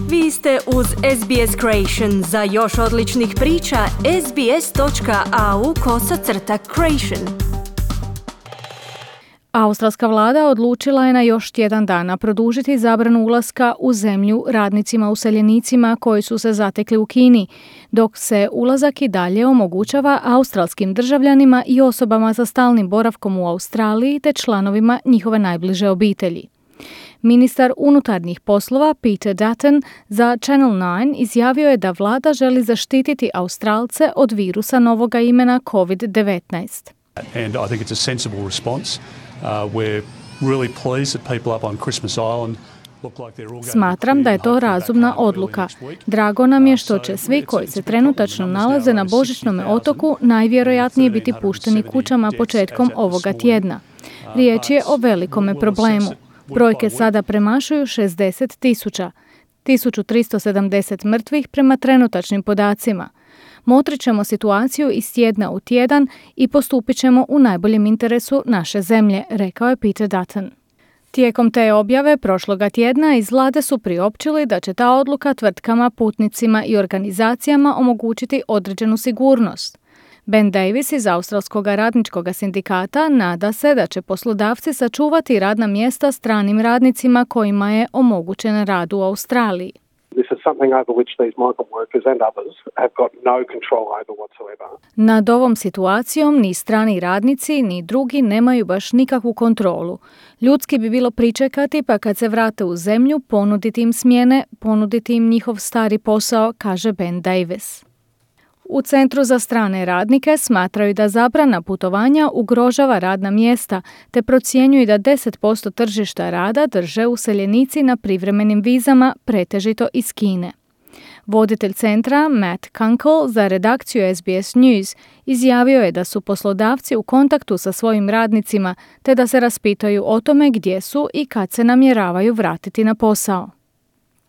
Vi ste uz SBS Creation. Za još odličnih priča, sbs.au/creation. Australska vlada odlučila je na još tjedan dana produžiti zabranu ulaska u zemlju radnicima useljenicima koji su se zatekli u Kini, dok se ulazak i dalje omogućava australskim državljanima i osobama sa stalnim boravkom u Australiji te članovima njihove najbliže obitelji. Ministar unutarnjih poslova Peter Dutton za Channel 9 izjavio je da vlada želi zaštititi Australce od virusa novoga imena COVID-19. And I think it's a sensible response. We're really pleased that people up on Christmas Island look like they're all going. Smatram da je to razumna odluka. Drago nam je što će svi koji se trenutačno nalaze na Božićnome otoku najvjerojatnije biti pušteni kućama početkom ovoga tjedna. Riječ je o velikome problemu. Brojke sada premašuju 60,000, 1370 mrtvih prema trenutačnim podacima. Motrit ćemo situaciju iz tjedna u tjedan i postupit ćemo u najboljem interesu naše zemlje, rekao je Peter Dutton. Tijekom te objave prošloga tjedna iz vlade su priopćili da će ta odluka tvrtkama, putnicima i organizacijama omogućiti određenu sigurnost. Ben Davis iz Australskog radničkog sindikata nada se da će poslodavci sačuvati radna mjesta stranim radnicima kojima je omogućen rad u Australiji. This is something over which these migrant workers and others have got no control over whatsoever. Nad ovom situacijom ni strani radnici ni drugi nemaju baš nikakvu kontrolu. Ljudski bi bilo pričekati pa kad se vrate u zemlju ponuditi im smjene, ponuditi im njihov stari posao, kaže Ben Davis. U Centru za strane radnike smatraju da zabrana putovanja ugrožava radna mjesta, te procjenjuju da 10% tržišta rada drže useljenici na privremenim vizama, pretežito iz Kine. Voditelj centra, Matt Kunkel, za redakciju SBS News, izjavio je da su poslodavci u kontaktu sa svojim radnicima, te da se raspitaju o tome gdje su i kad se namjeravaju vratiti na posao.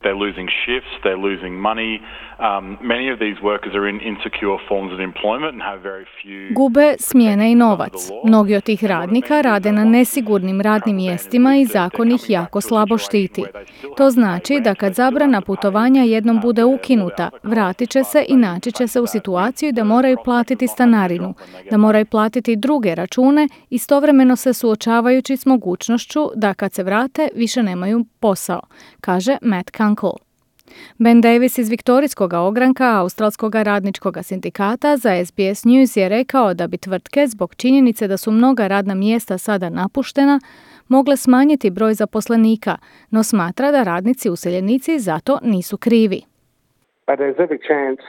They're losing shifts, they're losing money. Many of these workers are in insecure forms of employment and have very few. Gube smjene i novac. Mnogi od tih radnika rade na nesigurnim radnim mjestima i zakon ih jako slabo štiti. To znači da kad zabrana putovanja jednom bude ukinuta, vratit će se i naći će se u situaciju da moraju platiti stanarinu, da moraju platiti druge račune, istovremeno se suočavajući s mogućnošću da kad se vrate više nemaju posao, kaže Matt Kunkel. Ben Davis iz Viktorijskog ogranka Australskog radničkog sindikata za SBS News je rekao da bi tvrtke zbog činjenice da su mnoga radna mjesta sada napuštena mogle smanjiti broj zaposlenika, no smatra da radnici useljenici zato nisu krivi. But there's every chance,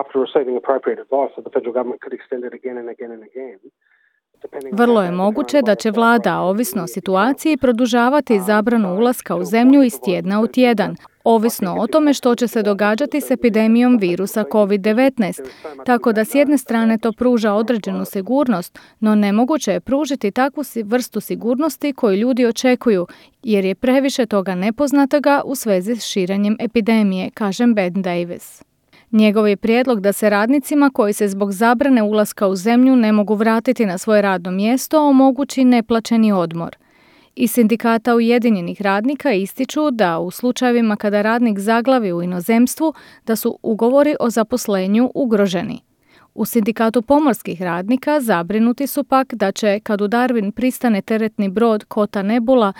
after receiving appropriate advice, that the federal government could extend it again and again and again. Vrlo je moguće da će vlada, ovisno o situaciji, produžavati zabranu ulaska u zemlju iz tjedna u tjedan, ovisno o tome što će se događati s epidemijom virusa COVID-19, tako da s jedne strane to pruža određenu sigurnost, no nemoguće je pružiti takvu vrstu sigurnosti koju ljudi očekuju, jer je previše toga nepoznatoga u svezi s širenjem epidemije, kaže Ben Davis. Njegov je prijedlog da se radnicima koji se zbog zabrane ulaska u zemlju ne mogu vratiti na svoje radno mjesto omogući neplaćeni odmor. Iz sindikata Ujedinjenih radnika ističu da u slučajevima kada radnik zaglavi u inozemstvu da su ugovori o zaposlenju ugroženi. U sindikatu pomorskih radnika zabrinuti su pak da će kad u Darwin pristane teretni brod Kota Nebula,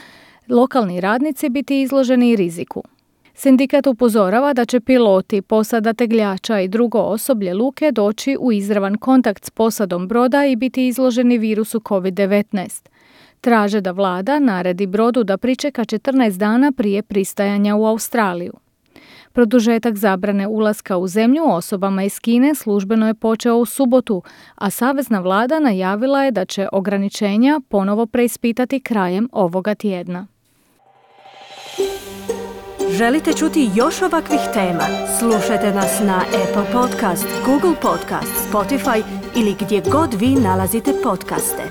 lokalni radnici biti izloženi riziku. Sindikat upozorava da će piloti, posada tegljača i drugo osoblje luke doći u izravan kontakt s posadom broda i biti izloženi virusu COVID-19. Traže da vlada naredi brodu da pričeka 14 dana prije pristajanja u Australiju. Produžetak zabrane ulaska u zemlju osobama iz Kine službeno je počeo u subotu, a savezna vlada najavila je da će ograničenja ponovo preispitati krajem ovoga tjedna. Želite čuti još ovakvih tema? Slušajte nas na Apple Podcast, Google Podcast, Spotify ili gdje god vi nalazite podcaste.